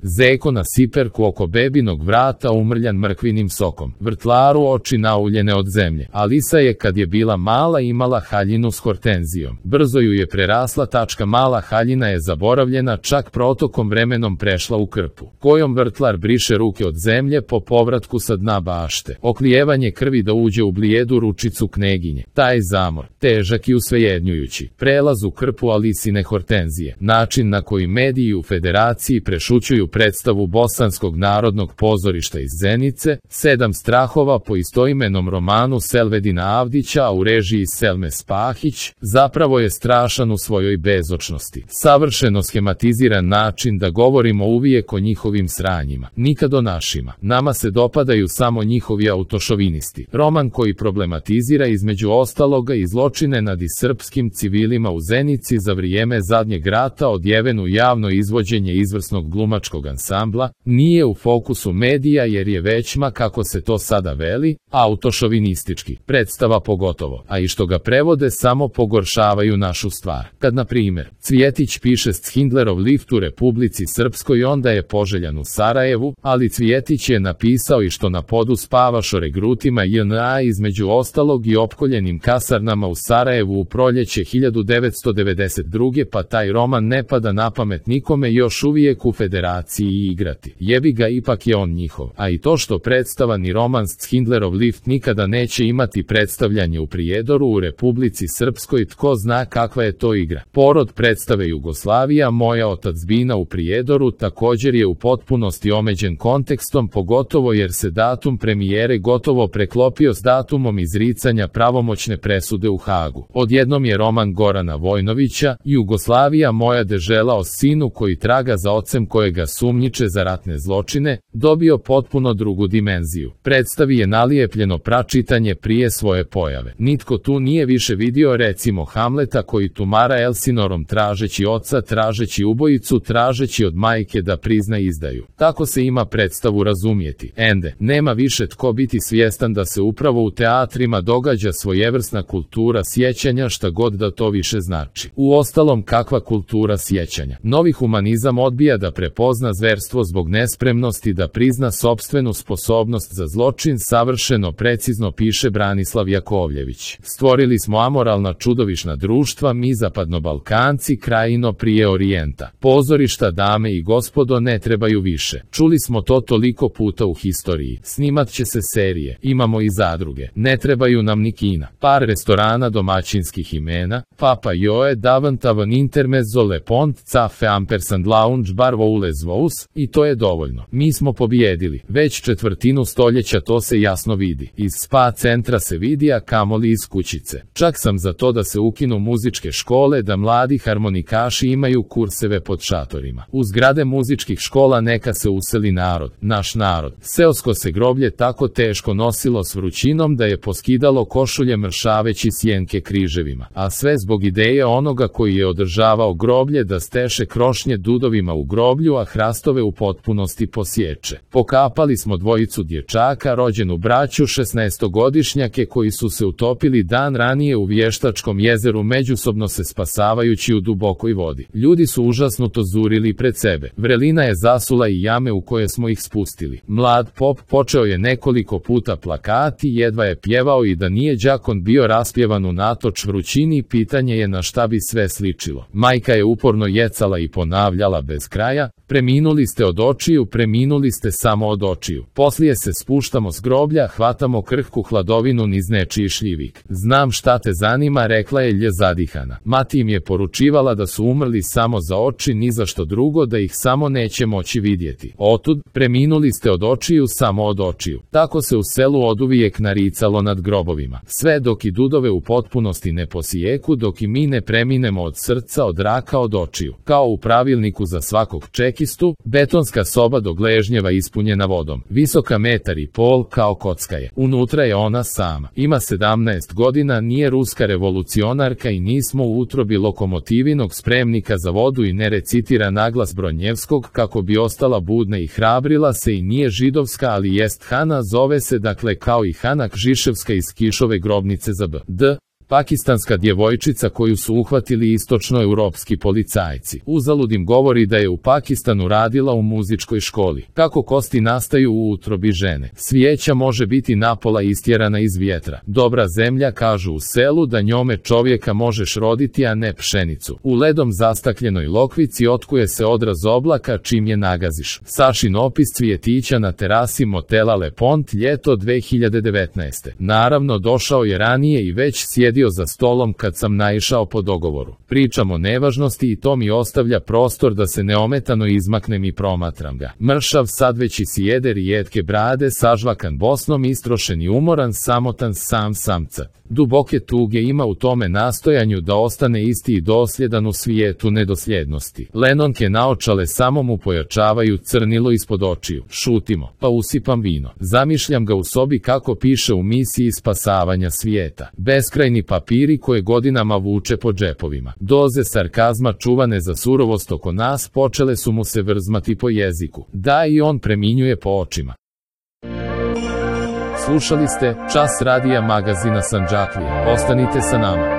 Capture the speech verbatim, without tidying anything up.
Zeko na siperku oko bebinog vrata umrljan mrkvinim sokom. Vrtlaru oči nauljene od zemlje. Alisa je kad je bila mala imala haljinu s hortenzijom. Brzo ju je prerasla tačka mala haljina je zaboravljena, čak protokom vremenom prešla u krpu, kojom vrtlar briše ruke od zemlje po povratku sa dna bašte. Oklijevanje krvi da uđe u blijedu ručicu kneginje. Taj zamor, težak i usvejednjujući. Prelaz u krpu Alisine hortenzije. Način na koji mediji u Federaciji prešućuju predstavu Bosanskog narodnog pozorišta iz Zenice, Sedam strahova po istoimenom romanu Selvedina Avdića, a u režiji Selme Spahić, zapravo je strašan u svojoj bezočnosti. Savršeno schematiziran način da govorimo uvijek o njihovim sranjima, nikad o našima. Nama se dopadaju samo njihovi autošovinisti. Roman koji problematizira između ostaloga i zločine nad srpskim civilima u Zenici za vrijeme zadnjeg rata, odjeven u javno izvođenje izvrsnog glumačkog ansambla, nije u fokusu medija jer je većma, kako se to sada veli, autošovinistički. Predstava pogotovo, a i što ga prevode samo pogoršavaju našu stvar. Kad, na primjer, Cvjetić piše Schindlerov lift u Republici Srpskoj, onda je poželjan u Sarajevu, ali Cvjetić je napisao i što na podu spavaš o regrutima J N A između ostalog i opkoljenim kasarnama u Sarajevu u proljeće hiljadu devetsto devedeset druge pa taj roman ne pada na pamet nikome još uvijek u Federaciji igrati. Jebi ga, ipak je on njihov. A i to što predstava ni roman Schindlerov lift nikada neće imati predstavljanje u Prijedoru u Republici Srpskoj, tko zna kakva je to igra. Porod predstave Jugoslavija, moja otadžbina u Prijedoru također je u potpunosti omeđen kontekstom, pogotovo jer se datum premijere gotovo preklopio s datumom izricanja pravomoćne presude u Hagu. Odjednom je roman Gorana Vojnovića, Jugoslavija moja dežela, o sinu koji traga za ocem kojega sumnjiče za ratne zločine, dobio potpuno drugu dimenziju. Predstavi je nalijepljeno pračitanje prije svoje pojave. Nitko tu nije više vidio recimo Hamleta koji tumara Elsinorom tražeći oca, tražeći ubojicu, tražeći od majke da prizna izdaju. Tako se ima predstavu razumjeti. Ende, nema više tko biti svjestan da se upravo u teatrima događa svojevrsna kultura sjećanja, šta god da to više znači. Uostalom, kakva kultura sjećanja? Novi humanizam odbija da prepozna zverstvo zbog nespremnosti da prizna sopstvenu sposobnost za zločin, savršeno precizno piše Branislav Jakovljević. Stvorili smo amoralna čudovišna društva, mi zapadnobalkanci, krajino prije orijenta. Pozorišta, dame i gospodo, ne trebaju više. Čuli smo to toliko puta u historiji. Snimat će se serije, imamo i zadruge. Ne trebaju nam ni kina. Par restorana domaćinskih imena, Papa Joe, Davantavan, Intermezzo, Le Pont, Cafe Ampersand, Lounge Bar, Voules Vous, i to je dovoljno. Mi smo pobjedili. Već četvrtinu stoljeća to se jasno vidi. Iz spa centra se vidi, a kamoli iz kućice. Čak sam za to da se ukinu muzičke škole, da mladi harmonikaši imaju kurseve pod šatorima. U zgrade muzičkih škola neka se useli narod, naš narod. Seosko se groblje tako teško nosilo s vrućinom da je poskidalo košulje mršaveći sjenke križevima. A sve zbog ideje onoga koji je održavao groblje da steše krošnje dudovima u groblju, a hrastove u potpunosti posječe. Pokapali smo dvojicu dječaka, rođenu braću šesnaestogodišnjake koji su se utopili dan ranije u Vještačkom jezeru, međusobno se spasavajući u dubokoj vodi. Ljudi su užasnuto zurili pred sebe. Vrelina je zasula i jame u koje smo ih spustili. Mlad pop počeo je nekoliko puta plakati, jedva je pjevao i da nije đakon bio raspjevan unatoč vrućini, pitanje je na šta bi sve sličilo. Majka je uporno jecala i ponavljala bez kraja, preminuli ste od očiju, preminuli ste samo od očiju. Poslije se spuštamo s groblja, hvatamo krhku hladovinu niz nečiji šljivik. Znam šta te zanima, rekla je lje zadihana. Mati im je poručivala da su umrli samo za oči, ni za što drugo, da ih samo neće moći vidjeti. Otud, preminuli ste od očiju, samo od očiju. Tako se u selu oduvijek naricalo nad grobovima. Sve dok i dudove u potpunosti ne posijeku, dok i mi ne preminemo od srca, od raka, od očiju. Kao u pravilniku za svakog čekistu, betonska soba do gležnjeva ispunjena vodom. Visoka metar i pol, kao kocka je. Unutra je ona sama. Ima sedamnaest godina, nije ruska revolucionarka i nismo u utrobi lokomotivinog spremnika za vodu i ne recitira naglas Bronjevskog kako bi ostala budna i hrabrila se i nije židovska, ali jest Hana, zove se dakle kao i Hana Kžiševska iz Kišove grobnice za B. D. Pakistanska djevojčica koju su uhvatili istočnoeuropski policajci. Uzalud im govori da je u Pakistanu radila u muzičkoj školi. Kako kosti nastaju u utrobi žene. Svijeća može biti napola istjerana iz vjetra. Dobra zemlja, kažu u selu, da njome čovjeka možeš roditi, a ne pšenicu. U ledom zastakljenoj lokvici otkuje se odraz oblaka čim je nagaziš. Sašin opis cvjetića na terasi motela Le Pont, ljeto dve hiljade devetnaeste. Naravno, došao je ranije i već sjedio za stolom kad sam naišao po dogovoru. Pričam o nevažnosti i to mi ostavlja prostor da se neometano izmaknem i promatram ga. Mršav, sad već i sjede rijetke brade, sažvakan Bosnom, istrošen i umoran, samotan, sam samcat. Duboke tuge ima u tome nastojanju da ostane isti i dosljedan u svijetu nedosljednosti. Lenonke naočale samo mu pojačavaju crnilo ispod očiju. Šutimo, pa usipam vino. Zamišljam ga u sobi kako piše u misiji spasavanja svijeta. Beskrajni papiri koje godinama vuče po džepovima. Doze sarkazma čuvane za surovost oko nas počele su mu se vrzmati po jeziku. Da, i on preminjuje po očima. Slušali ste Čas radija magazina Sandžaklije. Ostanite sa nama.